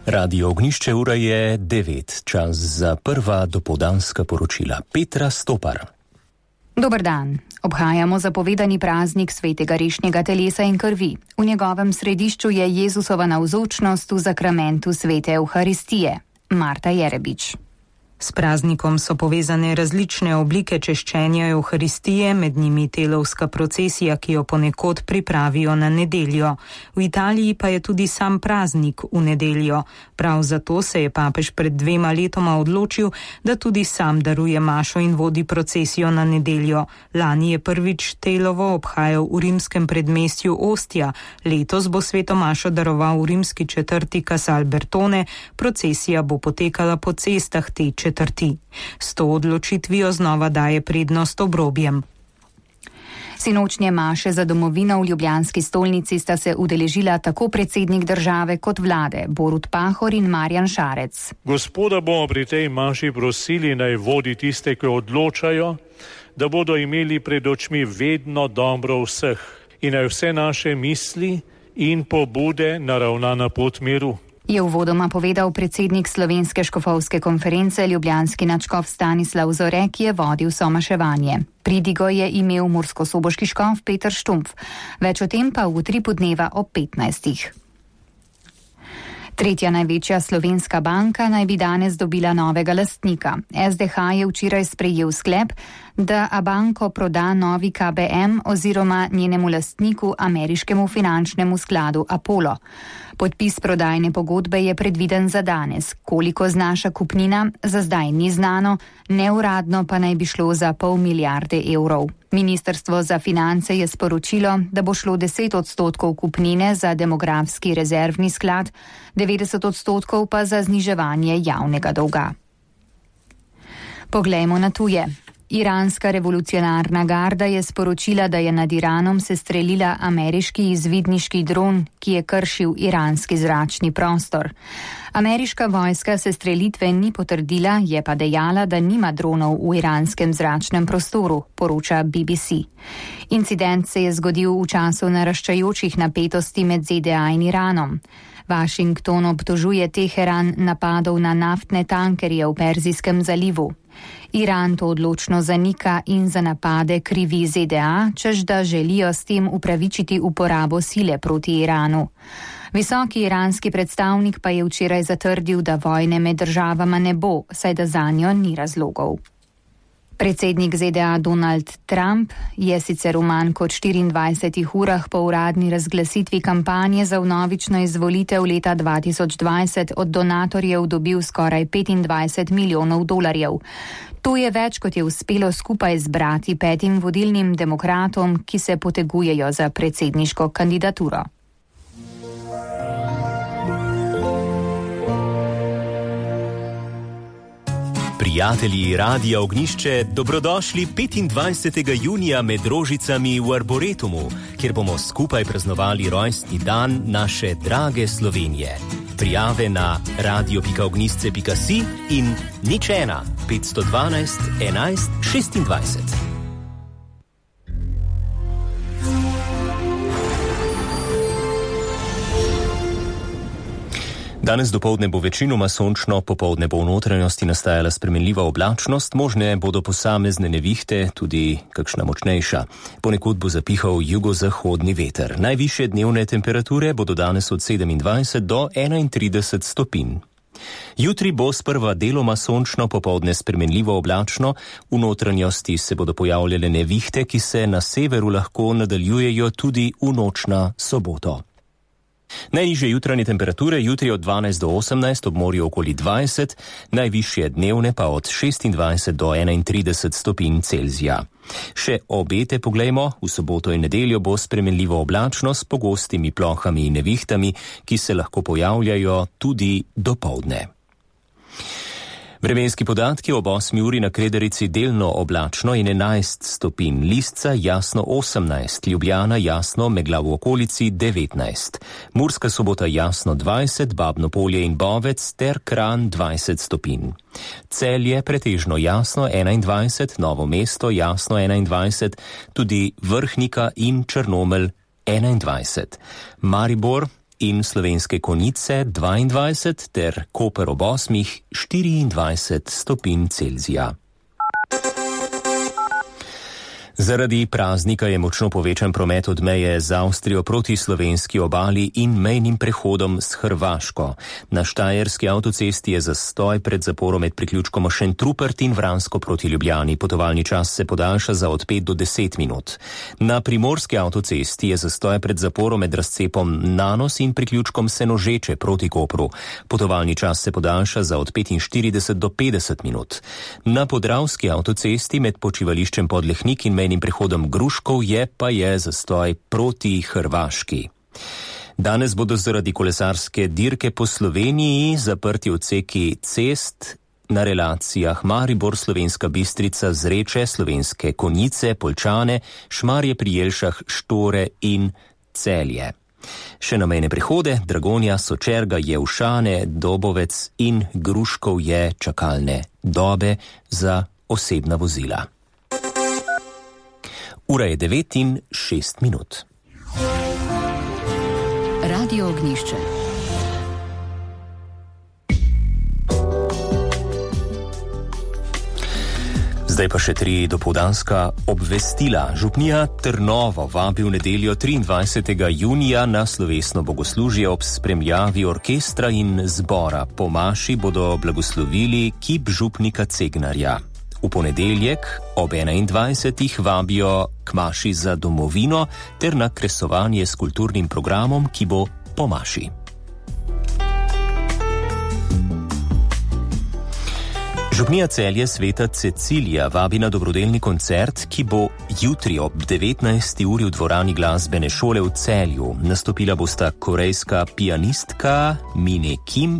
Radio Ognišče, ura je 9, čas za prva dopoldanska poročila. Petra Stopar. Dober dan. Obhajamo zapovedani praznik svetega rešnjega telesa in krvi. V njegovem središču je Jezusova navzočnost v zakramentu svete Evharistije. Marta Jerebič. S praznikom so povezane različne oblike češčenja Evharistije, med njimi telovska procesija, ki jo ponekod pripravijo na nedeljo. V Italiji pa je tudi sam praznik v nedeljo. Prav zato se je papež pred 2 letoma odločil, da tudi sam daruje mašo in vodi procesijo na nedeljo. Lani je prvič telovo obhajal v rimskem predmestju Ostija. Letos bo sveto mašo daroval v rimski četrti Casal Bertone. Procesija bo potekala po cestah te četrti. S to odločitvijo znova daje prednost obrobjem. Sinočnje maše za domovino v ljubljanski stolnici sta se udeležila tako predsednik države kot vlade, Borut Pahor in Marjan Šarec. Gospoda bomo pri tej maši prosili, naj vodi tiste, ki odločajo, da bodo imeli pred očmi vedno dobro vseh in naj vse naše misli in pobude naravna na pot miru. Je uvodoma povedal predsednik Slovenske škofovske konference ljubljanski nadškof Stanislav Zore, ki je vodil somaševanje. Pridigo je imel murskosoboški škof Peter Štumpf. Več o tem pa v utripu dneva ob 15. Tretja največja slovenska banka naj bi danes dobila novega lastnika. SDH je včeraj sprejel sklep, da Abanko proda novi KBM oziroma njenemu lastniku ameriškemu finančnemu skladu Apollo. Podpis prodajne pogodbe je predviden za danes. Koliko znaša kupnina, za zdaj ni znano, neuradno pa naj bi šlo za 0,5 milijarde evrov. Ministrstvo za finance je sporočilo, da bo šlo 10% kupnine za demografski rezervni sklad, 90% pa za zniževanje javnega dolga. Poglejmo na tuje. Iranska revolucionarna garda je sporočila, da je nad Iranom sestrelila ameriški izvidniški dron, ki je kršil iranski zračni prostor. Ameriška vojska sestrelitve ni potrdila, je pa dejala, da nima dronov v iranskem zračnem prostoru, poroča BBC. Incident se je zgodil v času naraščajočih napetosti med ZDA in Iranom. Washington obtožuje Teheran napadov na naftne tankerje v Perzijskem zalivu. Iran to odločno zanika in za napade krivi ZDA, čež da želijo s tem upravičiti uporabo sile proti Iranu. Visoki iranski predstavnik pa je včeraj zatrdil, da vojne med državama ne bo, saj da zanjo ni razlogov. Predsednik ZDA Donald Trump je sicer v manj kot 24 urah po uradni razglasitvi kampanje za vnovično izvolitev leta 2020 od donatorjev dobil skoraj $25 milijonov. To je več, kot je uspelo skupaj zbrati 5 vodilnim demokratom, ki se potegujejo za predsedniško kandidaturo. Prijatelji Radia Ognišče, dobrodošli 25. junija med rožicami v Arboretumu, kjer bomo skupaj praznovali rojstni dan naše drage Slovenije. Prijave na radio.ognisce.si in 01 512 11 26. Danes dopoldne bo večinoma sončno, popoldne bo v notranjosti nastajala spremenljiva oblačnost, možne bodo posamezne nevihte, tudi kakšna močnejša. Ponekod bo zapihal jugozahodni veter. Najvišje dnevne temperature bodo danes od 27 do 31 stopinj. Jutri bo sprva deloma sončno, popoldne spremenljivo oblačno, v notranjosti se bodo pojavljale nevihte, ki se na severu lahko nadaljujejo tudi v noč na soboto. Najnižje jutranje temperature jutri od 12 do 18, ob morju okoli 20, najvišje dnevne pa od 26 do 31 stopinj Celzija. Še obete poglejmo, v soboto in nedeljo bo spremenljivo oblačno s pogostimi plohami in nevihtami, ki se lahko pojavljajo tudi dopoldne. Vremenski podatki ob 8 uri na Kredarici delno oblačno in 11 stopinj, Lisca jasno 18, Ljubljana jasno, megla v okolici 19, Murska Sobota jasno 20, Babno Polje in Bovec ter Kranj 20 stopinj. Celje pretežno jasno 21, Novo mesto jasno 21, tudi Vrhnika in Črnomelj 21. Maribor in Slovenske Konjice 22 ter Koper ob 8 24 stopinj Celzija. Zaradi praznika je močno povečan promet od meje z Avstrijo proti slovenski obali in mejnim prehodom s Hrvaško. Na štajerski avtocesti je zastoj pred zaporom med priključkom Šentrupert in Vransko proti Ljubljani. Potovalni čas se podaljša za od 5 do 10 minut. Na primorski avtocesti je zastoj pred zaporom med razcepom Nanos in priključkom Senožeče proti Kopru. Potovalni čas se podaljša za od 45 do 50 minut. Na podravski avtocesti med počivališčem Podlehnik in mejnim prehodom Gruškov je zastoj proti Hrvaški. Danes bodo zaradi kolesarske dirke po Sloveniji zaprti odseki cest na relacijah Maribor, Slovenska Bistrica, Zreče, Slovenske Konjice, Poljčane, Šmarje pri Jelšah, Štore in Celje. Še na mejne prehode Dragonja, Sočerga, Jevšane, Dobovec in Gruškov je čakalne dobe za osebna vozila. Ura je 9:06. Radio Ognjišče. Zdaj pa še 3 dopoldanska obvestila. Župnija Trnovo vabi v nedeljo 23. junija na slovesno bogoslužje ob spremljavi orkestra in zbora. Po maši bodo blagoslovili kip župnika Cegnarja. V ponedeljek ob 21. vabijo k maši za domovino ter na kresovanje s kulturnim programom, ki bo po maši. Župnija Celje Sveta Cecilija vabi na dobrodelni koncert, ki bo jutri ob 19. uri v dvorani glasbene šole v Celju. Nastopila bosta korejska pianistka Mine Kim